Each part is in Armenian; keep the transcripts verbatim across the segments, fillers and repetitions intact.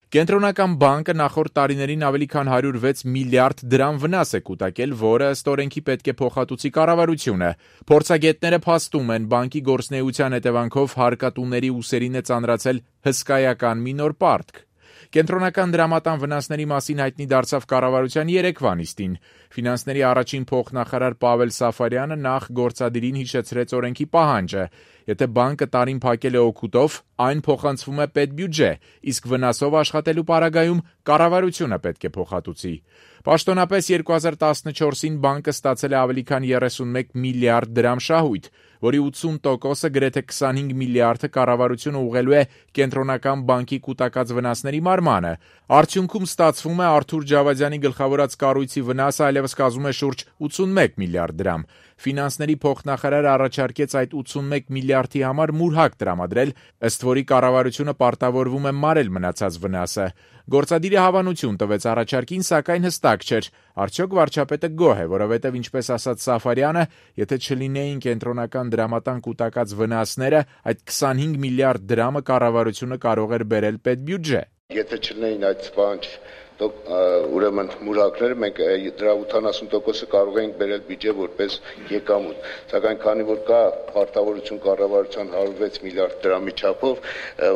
Կենտրոնական բանկը նախորդ տարիներին ավելի քան հարյուր վեց միլիարդ դրամ վնաս է կուտակել, որը ըստ օրենքի պետք է փոխհատուցի կառավարությունը։ Փորձագետները փաստում են, բանկի գործունեության հետևանքով հարկատուների ուսերին է ծանրացել հսկայական մի նոր պարտք։ Կենտրոնական դրամատան վնասների մասին հայտնի դարձավ կառավարության երեկվա նիստին։ Ֆինանսների առաջին փոխնախարար Պավել Սաֆարյանը նախ գործադիրին հիշեցրեց օրենքի պահանջը։ Եթե բանկը տարին փակել է օգուտով, այն փոխանցվում է պետբյուջե, իսկ վնասով աշխատելու պարագայում կառավարությունը պետք է փոխհատուցի։ Պաշտոնապես երկու հազար տասնչորսին բանկը ստացել է ավելի քան երեսունմեկ միլիարդ դրամ շահույթ, որի ութսուն տոկոսը գրեթե քսանհինգ միլիարդը կառավարությունը ուղղելու է կենտրոնական բանկի կուտակած վնասների մարմանը։ Արդյունքում ստացվում է Արթուր Ջավադյանի գլխավորած կառույցի վնասը այլևս կազմում է շուրջ ութսունմեկ միլիարդ դրամ։ Ֆինանսների փոխնախարարը առաջարկեց այդ ութսունմեկ միլիարդի համար մուրհակ տրամադրել, ըստ որի կառավարությունը պարտավորվում է մարել մնացած վնասը։ Գործադիրը հավանություն տվեց առաջարկին, սակայն հստակ չէր, արդյոք վարչապետը գոհ է, որովհետև ինչպես ասաց Սաֆարյանը, եթե չլինեին կենտրոնական դրամատան կուտակած վնասները, այդ քսանհինգ միլիարդ դրամը կառավարությունը կարող էր բերել պետբյուջե։ Եթե չլինեին այդ բանջ ուրեմն մուրհակները, մենք դրա ութանասուն տոկոսը կարող էինք բերել բյուջե որպես եկամուտ, սակայն քանի որ կա պարտավորություն կառավարության հարյուր վեց միլիարդ դրամի չափով,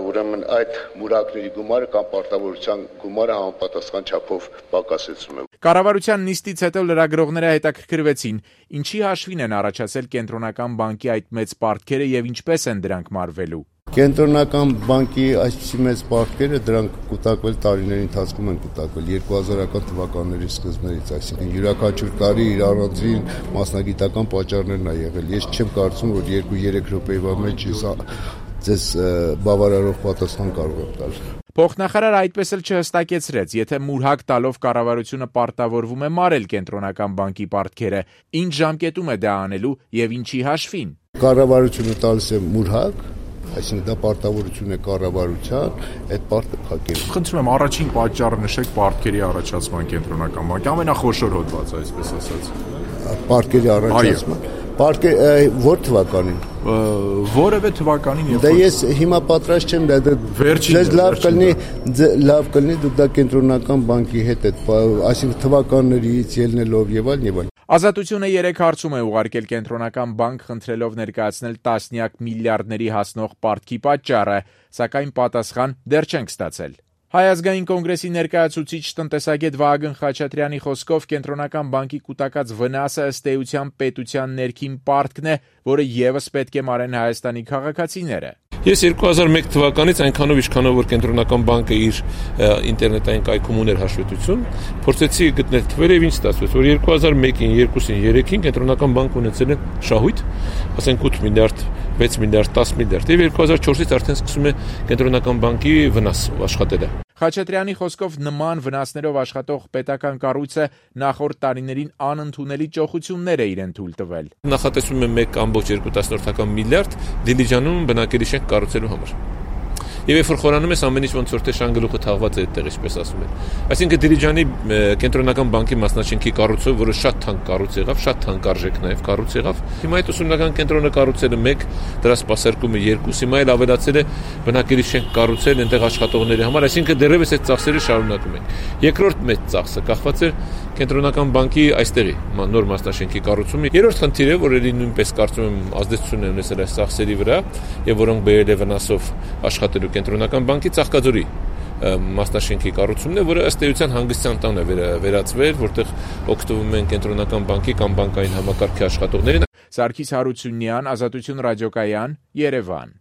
ուրեմն այդ մուրհակների գումարը կամ պարտավորության գումարը համապատասխան չափով պակասեցնում է։ Կառավարության նիստից հետո լրագրողները հետաքրքրվեցին, ինչի հաշվին են առաջացել կենտրոնական բանկի այդ մեծ պարտքերը եւ ինչպես են դրանք մարվելու։ Կենտրոնական բանկի այսպիսի մեծ պարտքերը դրանք կուտակվել տարիների ընթացքում են կուտակվել երկու հազարական թվականների սկզբներից, այսինքն յուրաքանչյուր տարի իր առանձին մասնագիտական պատճառներն ա եղել։ Ես չեմ կարծում, որ երկու-երեք րոպեվա մեջ ձեզ բավարարող պատասխան կարող եմ տալ։ Փոխնախարարը այդպես էլ չհստակեցրեց, եթե մուրհակ տալով կառավարությունը պարտավորվում է մարել կենտրոնական բանկի պարտքերը, ինչ ժամկետում է դա անելու եւ ինչի հաշվին։ Կառավարությունը տալիս է մուրհակ, այսինքն դա պարտավորություն է կառավարության, այդ պարտքը փակել։ Խնդրում եմ առաջին պատճառը նշեք պարտքերի առաջացման կենտրոնական բանկի, ամենախոշոր հոդվածը, այսպես ասած։ Պարտքերի առաջացման։ Պարտքեր որ թվականին։ Որևէ թվականին երբ Դա ես հիմա պատրաստ չեմ, դա վերջին լավ կլինի, լավ կլինի դուք դա կենտրոնական բանկի հետ այդ, այսինքն թվականներից ելնելով եւ այլն եւ այլն։ Ազատությունը երեք հարցում է ուղարկել կենտրոնական բանկ, խնդրելով ներկայացնել տասնյակ միլիարդների հասնող պարտքի պատճառը, սակայն պատասխան դեռ չենք ստացել։ Հայ ազգային կոնգրեսի ներկայացուցիչ տնտեսագետ Վահագն Խաչատրյանի խոսքով կենտրոնական բանկի կուտակած վնասը ըստ էության պետության ներքին պարտքն է, որը ևս պետք է մարեն Հայաստանի քաղաքացիները։ Ես երկու հազար մեկ թվականից այնքանով ինչքանով որ կենտրոնական բանկը իր ինտերնետային կայքում ուներ հաշվետվություն, փորձեցի գտնել թվերը եւ ինչ ստացվեց, որ երկու հազար մեկին, երկուսին, երեքին կենտրոնական բանկը ունեցել է շահույթ, ասենք ութ միլիարդ, վեց միլիարդ, տասը միլիարդ, եւ երկու հազար չորսից արդեն սկսում է կենտրոնական բանկի վնաս աշխատելը։ Խաչատրյանի խոսքով նման վնասներով աշխատող պետական կառույցը նախորդ տարիներին անընդունելի ճոխություններ է իրեն թույլ տվել։ Նախատեսվում է մեկ ամբողջ երկու տասնորդական միլիարդ Դիլիջանում բնակելի շենք կառուցելու համար։ Եվ երբ որ խորանում ես ամեն ինչ ոնց որ թե շանգլուխը թաղված է այդտեղ, ինչպես ասում են։ Այսինքն Դիլիջանի կենտրոնական բանկի մասնաշենքի կառուցումը, որը շատ թանկ կառույց եղավ, շատ թանկարժեք նաև կառույց եղավ։ Հիմա այդ ուսումնական կենտրոնը կառուցել է մեկ, դրա սպասարկումը երկու, հիմա էլ ավելացել է բնակելի շենք կառուցել այնտեղ աշխատողների համար, այսինքն դեռևս այդ ծախսերը շարունակում են։ Երկրորդ մեծ ծախսը կախված է կենտրոնական բանկի այստեղի նոր մասնաշենքի կառուցումը։ Երրորդ խնդիրը, որ ելի նույնպես կարծում եմ ազդեցություն է ունեցել այս ծախսերի վրա եւ որոնք բերել է վնասով աշխատելու կենտրոնական բանկի Ծաղկաձորի մասնաշենքի կառուցումն է, որը ըստ էության հանգստյան տան է վերածվել, որտեղ օգտվում են կենտրոնական բանկի կամ բանկային համակարգի աշխատողներին։ Սարգիս Հարությունյան, Ազատություն ռադիոկայան, Երևան։